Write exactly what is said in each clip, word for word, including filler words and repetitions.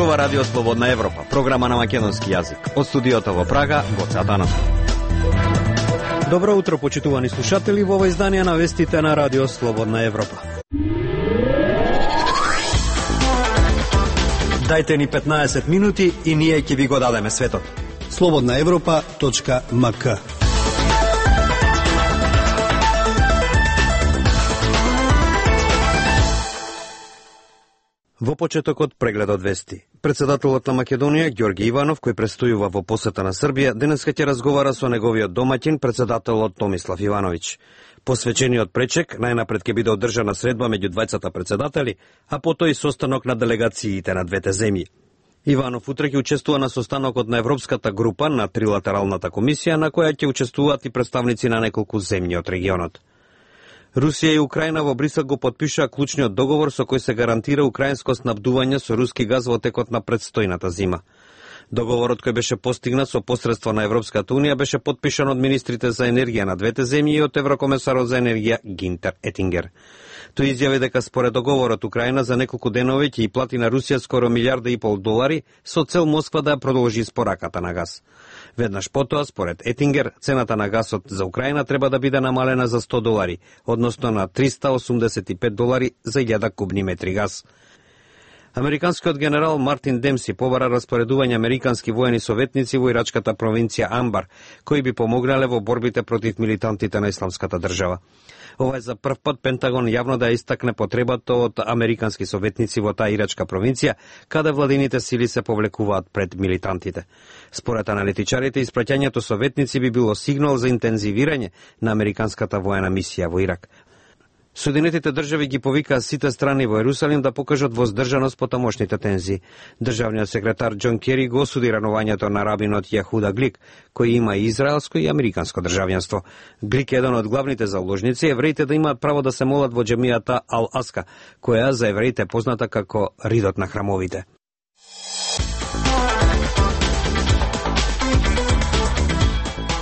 зборува Радио Слободна Европа, програма на македонски јазик. Од студиото во Прага, Гоце Атанов. Добро утро, почитувани слушатели, во ова издание на вестите на Радио Слободна Европа. Дајте ни петнаесет минути и ние ќе ви го дадеме светот. слободна европа точка ем ка. Во почетокот прегледот вести. Председателот на Македонија Ѓорги Иванов, кој престојува во посета на Србија, денеска ќе разговара со неговиот домаќин, председателот Томислав Ивановиќ. Посвечениот пречек најнапред ќе биде одржана средба меѓу двајцата председатели, а потоа и состанок на делегациите на двете земји. Иванов утре ќе учествува на состанокот на Европската група на трилатералната комисија, на која ќе учествуваат и представници на неколку земји од регионот. Русија и Украина во Брисел го потпишаа клучниот договор со кој се гарантира украинско снабдување со руски газ во текот на предстојната зима. Договорот кој беше постигнат со посредство на Европската унија беше потпишан од министрите за енергија на двете земји и од еврокомесарот за енергија Гинтер Етингер. Тој изјави дека според договорот Украина за неколку денови ќе и плати на Русија скоро милијарда и пол долари со цел Москва да ја продолжи испораката на газ. Веднаш потоа, според Етингер, цената на гасот за Украина треба да биде намалена за сто долари, односно на триста осумдесет и пет долари за илјада кубни метри газ. Американскиот генерал Мартин Демси побара распоредување американски воени советници во ирачката провинција Амбар, кои би помогнале во борбите против милитантите на Исламската држава. Ова е за прв пат Пентагон јавно да ја истакне потребата од американски советници во таа ирачка провинција, каде владините сили се повлекуваат пред милитантите. Според аналитичарите, испраќањето советници би било сигнал за интензивирање на американската воена мисија во Ирак. Соединетите држави ги повикаа сите страни во Ерусалим да покажат воздржаност по тамошните тензии. Државниот секретар Џон Кери го осуди ранувањето на рабинот Јахуда Глик, кој има и израелско и американско државјанство. Глик е еден од главните заложници евреите да имаат право да се молат во џемијата Ал-Аска, која за евреите е позната како ридот на храмовите.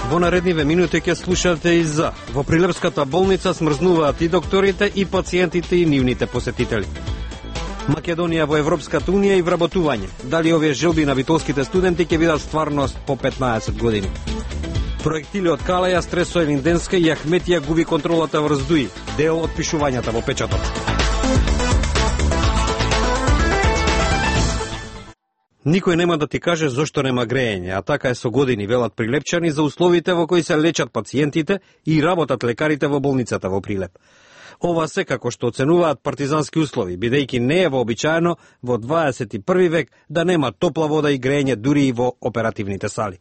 Во наредниве минути ќе слушате и за во Прилепската болница смрзнуваат и докторите, и пациентите, и нивните посетители. Македонија во Европската унија и вработување. Дали овие желби на битолските студенти ќе бидат стварност по петнаесет години? Проектили од Калаја, Стресо Елинденска и Ахметија губи контролата врз Дуи. Дел од пишувањата во печатот. Никој нема да ти каже зошто нема грејење, а така е со години, велат прилепчани за условите во кои се лечат пациентите и работат лекарите во болницата во Прилеп. Ова се како што оценуваат партизански услови, бидејќи не е вообичаено во дваесет и први век да нема топла вода и грејење дури и во оперативните сали.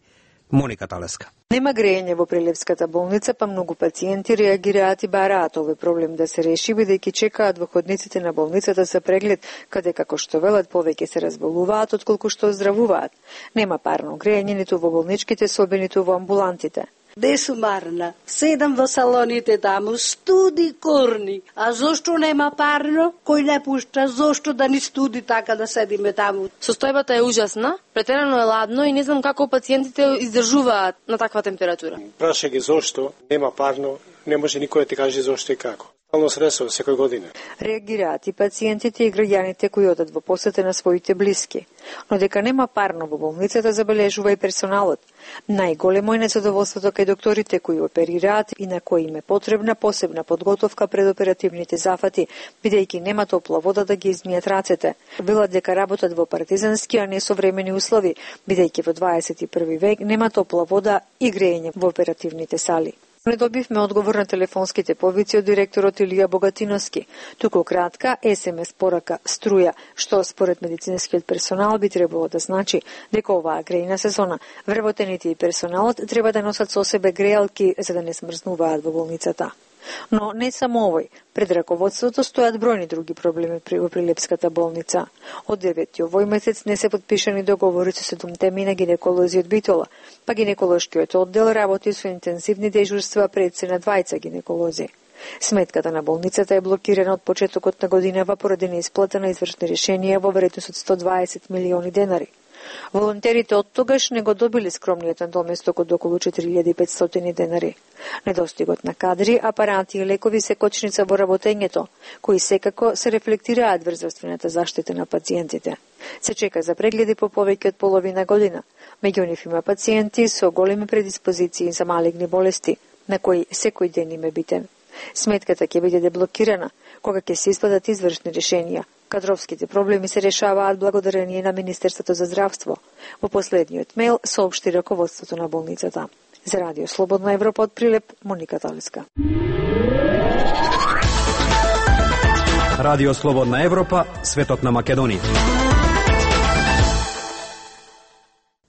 Моника Талеска. Нема грејење во Прилепската болница, па многу пациенти реагираат и бараат овој проблем да се реши, бидејќи чекаат во ходниците на болницата за преглед, каде како што велат повеќе се разболуваат отколку што оздравуваат. Нема парно грејење ниту во болничките соби, ниту во амбулантите. Бесумарна, седам во салоните таму, студи корни. А зошто нема парно? Кој не пушта, зошто да ни студи така да седиме таму? Состојбата е ужасна, претерано е ладно и не знам како пациентите издржуваат на таква температура. Праша ги зошто нема парно, не може никој да ти каже зошто и како. Стално средство секој година. Реагираат и пациентите и граѓаните кои одат во посета на своите блиски. Но дека нема парно во болницата забележува и персоналот. Најголемо е незадоволството кај докторите кои оперираат и на кои им е потребна посебна подготовка пред оперативните зафати, бидејќи нема топла вода да ги измијат рацете. Велат дека работат во партизански, а не современи услови, бидејќи во дваесет и први век нема топла вода и грејење во оперативните сали. Не добивме одговор на телефонските повици од директорот Илија Богатиновски, туку кратка ес ем ес порака струја, што според медицинскиот персонал би требало да значи дека оваа грејна сезона вработените и персоналот треба да носат со себе грејалки за да не смрзнуваат во болницата. Но не само овој, пред раководството стојат бројни други проблеми при во Прилепската болница. Од девети овој месец не се подпишани договори со седумте мина гинеколози од Битола, па гинеколошкиот оддел работи со интензивни дежурства пред се на двајца гинеколози. Сметката на болницата е блокирана од почетокот на годинава поради неисплата на извршни решенија во вредност од сто дваесет милиони денари. Волонтерите од тогаш не го добиле скромниот надоместок од околу четири илјади и петстотини денари. Недостигот на кадри, апарати и лекови се кочница во работењето, кои секако се рефлектираат врз здравствената заштита на пациентите. Се чека за прегледи по повеќе од половина година. Меѓу нив има пациенти со големи предиспозиции за малигни болести, на кои секој ден им е битен. Сметката ќе биде деблокирана кога ќе се испадат извршни решенија. Кадровските проблеми се решаваат благодарение на Министерството за здравство. Во последниот мејл соопшти раководството на болницата. За Радио Слободна Европа од Прилеп, Моника Талиска. Радио Слободна Европа, светот на Македонија.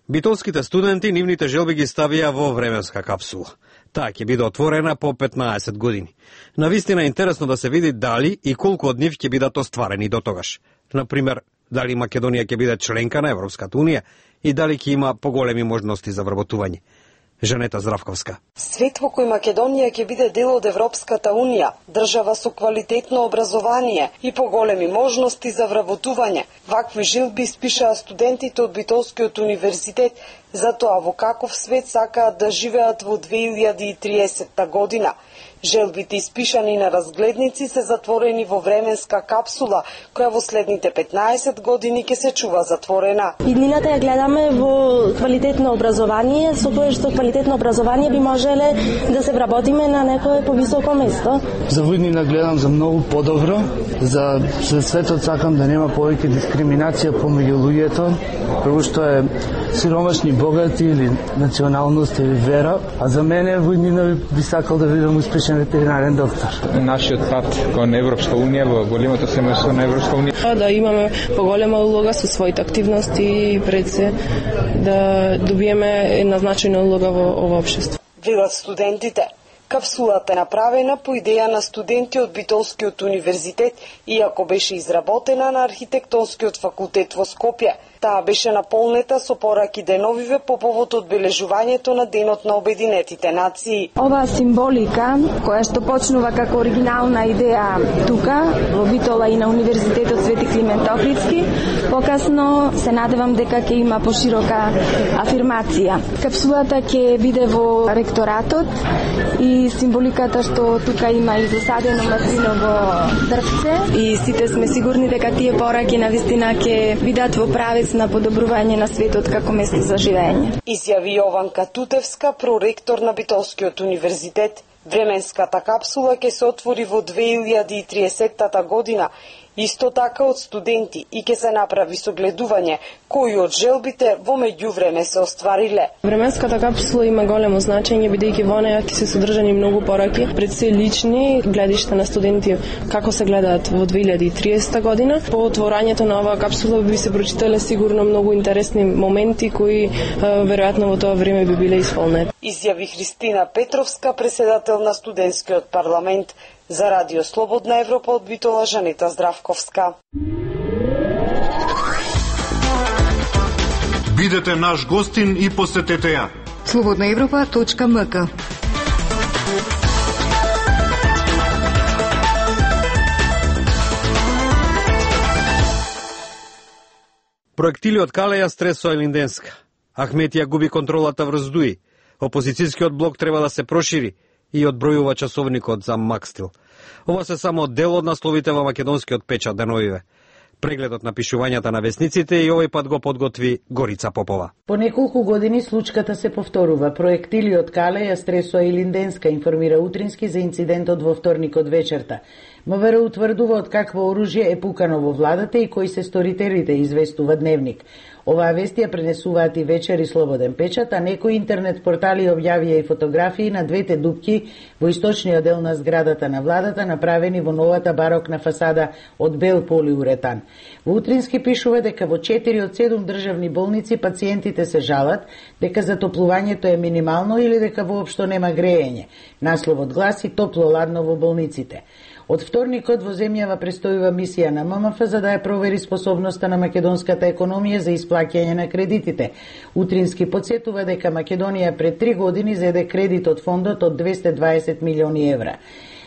Битолските студенти нивните желби ги ставија во временска капсула. Таа ќе биде отворена по петнаесет години. Навистина е интересно да се види дали и колку од нив ќе бидат остварени до тогаш. Например, дали Македонија ќе биде членка на Европската унија и дали ќе има поголеми можности за вработување. Жанета Здравковска. Свет во кој Македонија ќе биде дел од Европската унија, држава со квалитетно образование и поголеми можности за вработување. Вакви желби испишаа студентите од Битолскиот универзитет за тоа во каков свет сакаат да живеат во две илјади и триесетта година. Желбите испишани на разгледници се затворени во временска капсула, која во следните петнаесет години ќе се чува затворена. Иднината ја гледаме во квалитетно образование, со кое што квалитетно образование би можеле да се вработиме на некое повисоко место. За иднина гледам за многу подобро, за светот сакам да нема повеќе дискриминација помеѓу луѓето, прво што е сиромашни, богати или националност или вера, а за мене во иднина би сакал да видам успешен ветеринарен доктор. Нашиот пат кон Европска унија, во големото семејство на Европска унија. Да имаме поголема улога со своите активности и пред се да добиеме една значајна улога во ова општество. Велат студентите. Капсулата е направена по идеја на студенти од Битолскиот универзитет, иако беше изработена на архитектонскиот факултет во Скопје. Таа беше наполнета со пораки деновиве по повод одбележувањето на Денот на Обединетите нации. Ова символика, која што почнува како оригинална идеја тука, во Битола и на Универзитетот Свети Климент Охридски, покасно се надевам дека ќе има поширока афирмација. Капсулата ќе биде во ректоратот и символиката што тука има и засадено маслиново дрвце. И сите сме сигурни дека тие пораки навистина ќе бидат во правец на подобрување на светот како место за живење. Изјави Јованка Тутевска, проректор на Битолскиот универзитет. Временската капсула ќе се отвори во две илјади и триесетта година, исто така од студенти, и ќе се направи согледување кои од желбите во меѓувреме се оствариле. Временската капсула има големо значење, бидејќи во неја ќе се содржани многу пораки, пред се лични гледишта на студенти како се гледаат во две илјади и триесетта година. По отворањето на оваа капсула би се прочитале сигурно многу интересни моменти кои веројатно во тоа време би биле исполнети. Изјави Христина Петровска, председател на студентскиот парламент. За Радио Слободна Европа од Битола, Жанета Здравковска. Бидете наш гостин и посетете ја. слободна европа точка ем ка. Проектили од Калеја стресоа Линденска. Ахметија губи контролата врз Дуи. Опозицијскиот блок треба да се прошири и одбројува часовникот за Макстил. Ова се само дел од насловите во македонскиот печат деновиве. Прегледот на пишувањата на весниците и овој пат го подготви Горица Попова. По неколку години случката се повторува. Проектили од Калеја стресоа и Линденска, информира Утрински за инцидентот во вторникот вечерта. МВР утврдува од какво оружје е пукано во владата и кои се сторителите, известува Дневник. Оваа вести ја пренесуваат и Вечер и Слободен печат, а некои интернет портали објавија и фотографии на двете дупки во источниот дел на зградата на владата, направени во новата барокна фасада од бел полиуретан. Во Утрински пишува дека во четири од седум државни болници пациентите се жалат дека затоплувањето е минимално или дека воопшто нема грејење. Насловот гласи топло-ладно во болниците. Од вторникот во земјава престојува мисија на М М Ф за да ја провери способноста на македонската економија за исплаќање на кредитите. Утрински подсетува дека Македонија пред три години зеде кредит од фондот од двесте дваесет милиони евра.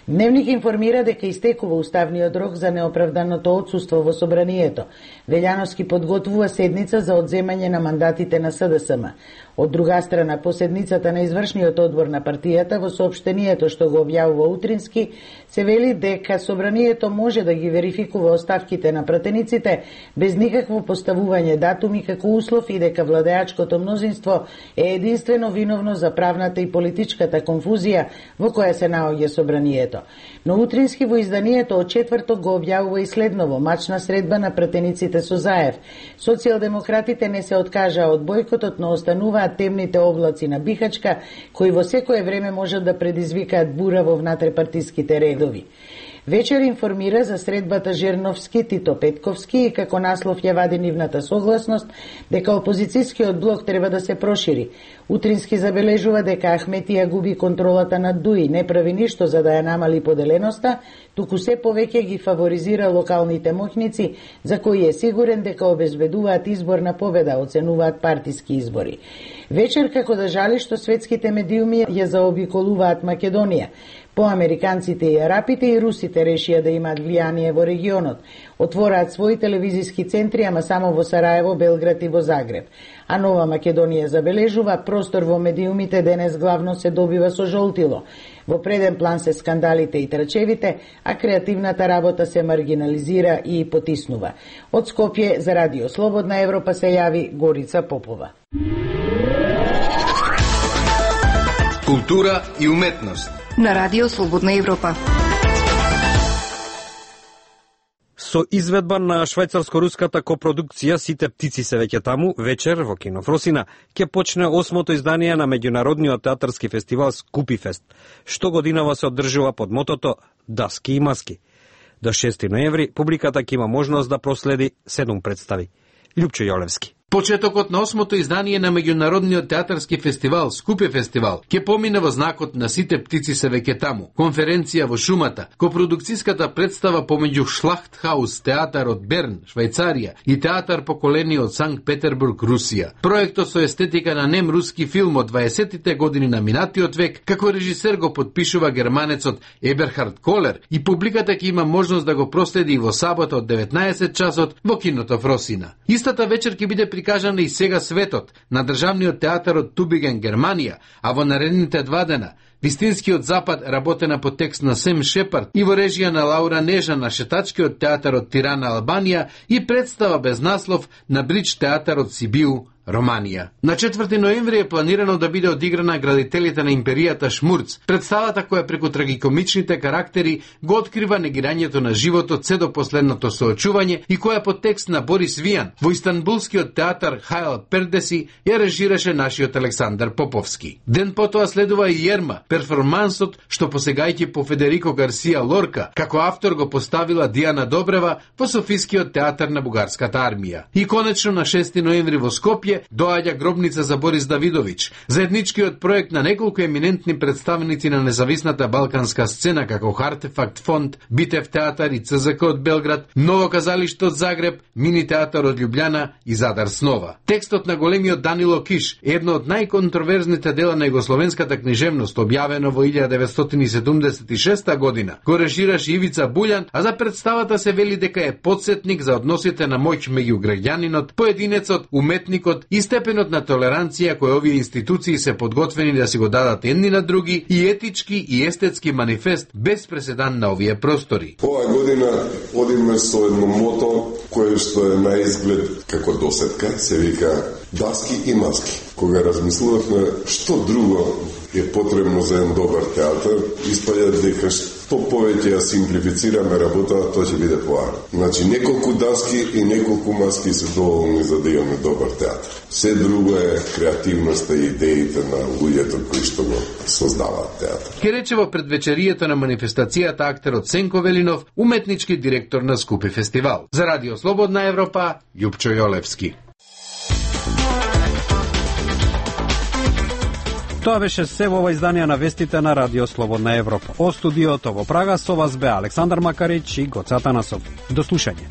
Дневник информира дека истекува уставниот рок за неоправданото отсуство во собранието. Велјановски подготвува седница за одземање на мандатите на С Д С М. Од друга страна, по седницата на извршниот одбор на партијата, во соопштението што го објавува утрински, се вели дека собранието може да ги верификува оставките на пратениците без никакво поставување датуми како услов и дека владеачкото мнозинство е единствено виновно за правната и политичката конфузија во која се наоѓа собранието. Но утрински во изданието од четврток го објавува и следново: мачна средба на пратениците со Заев. Социјалдемократите не се откажаа од бојкотот, но остануваат темните облаци на Бихачка, кои во секое време можат да предизвикаат бура во внатрепартиските редови. Вечер информира за средбата Жерновски-Тито Петковски и како наслов ја вади нивната согласност дека опозицијскиот блок треба да се прошири. Утрински забележува дека Ахметија губи контролата над Дуи, не прави ништо за да ја намали поделеноста, туку се повеќе ги фаворизира локалните моќници, за кои е сигурен дека обезбедуваат изборна победа, оценуваат партиски избори. Вечер како да жали што светските медиуми ја заобиколуваат Македонија. По американците и арапите и русите решија да имаат влијание во регионот. Отвораат своји телевизиски центри, ама само во Сараево, Белград и во Загреб. А Нова Македонија забележува простор во медиумите денес главно се добива со жолтило. Во преден план се скандалите и трачевите, а креативната работа се маргинализира и потиснува. Од Скопје за Радио Слободна Европа се јави Горица Попова. Култура и уметност на Радио Слободна Европа. Со изведба на швајцарско-руската копродукција Сите птици се веќе таму, вечер во кино Фросина ќе почне осмото издание на меѓународниот театарски фестивал Скупифест, што годинава се одржува под мотото Даски и маски. До шести ноември публиката ќе има можност да проследи седум представи. Љупчо Јолевски. Почетокот на осмото издание на меѓународниот театарски фестивал Скупи фестивал ќе помине во знакот на Сите птици се веќе таму. Конференција во шумата, копродукцијската представа помеѓу Шлахтхаус театар од Берн, Швајцарија и театар поколени од Санкт Петербург, Русија. Проектот со естетика на нем руски филм од дваесеттите години на минатиот век, како режисер го подпишува германецот Еберхард Колер и публиката ќе има можност да го проследи и во сабота од деветнаесет часот во киното Фросина. Истата вечер ќе биде прикажана и Сега светот на државниот театар од Тубиген, Германија, а во наредните два дена Вистинскиот запад, работена по текст на Сем Шепард и во режија на Лаура Нежа на Шетачкиот театар од Тирана, Албанија и представа без наслов на Бридж театар од Сибиу, Романија. На четврти ноември е планирано да биде одиграна Градителите на империјата Шмурц, представата која преку трагикомичните карактери го открива негирањето на животот се до последното соочување и која по текст на Борис Вијан во Истанбулскиот театар Хајл Пердеси ја режираше нашиот Александар Поповски. Ден потоа следува и Јерма, перформансот што посегајќи по Федерико Гарсија Лорка, како автор го поставила Дијана Добрева во Софискиот театар на Бугарската армија. И конечно на шести ноември во Скопје доаѓа Гробница за Борис Давидович, заедничкиот проект на неколку еминентни представници на независната балканска сцена како Хартефакт фонд, Битев театар и Ц З К од Белград, Ново казалиште од Загреб, Мини театар од Љубљана и Задар Снова. Текстот на големиот Данило Киш, едно од најконтроверзните дела на југословенската книжевност, објавено во илјада деветстотини седумдесет и шеста година, го режираше Ивица Буљан, а за представата се вели дека е подсетник за односите на моќ меѓу граѓанинот, поединецот, уметникот и степенот на толеранција кој овие институции се подготвени да си го дадат едни на други и етички и естетски манифест без преседан на овие простори. Оваа година одиме со едно мото кое што е на изглед како досетка, се вика Даски и маски. Кога размислувавме што друго е потребно за еден добар театар, испаѓа дека што повеќе ја симплифицираме работата, тоа ќе биде поарно. Значи, неколку даски и неколку маски се доволни за да имаме добар театар. Се друго е креативноста и идеите на луѓето кои што го создаваат театар. Ке рече во предвечерието на манифестацијата актерот Сенко Велинов, уметнички директор на Скупи фестивал. За Радио Слободна Европа, Љупчо Јолевски. Тоа беше се во ова издание на вестите на Радио Слободна Европа. О студиото во Прага со вас бе Александар Макарич и Гоце Атанасов. До слушање.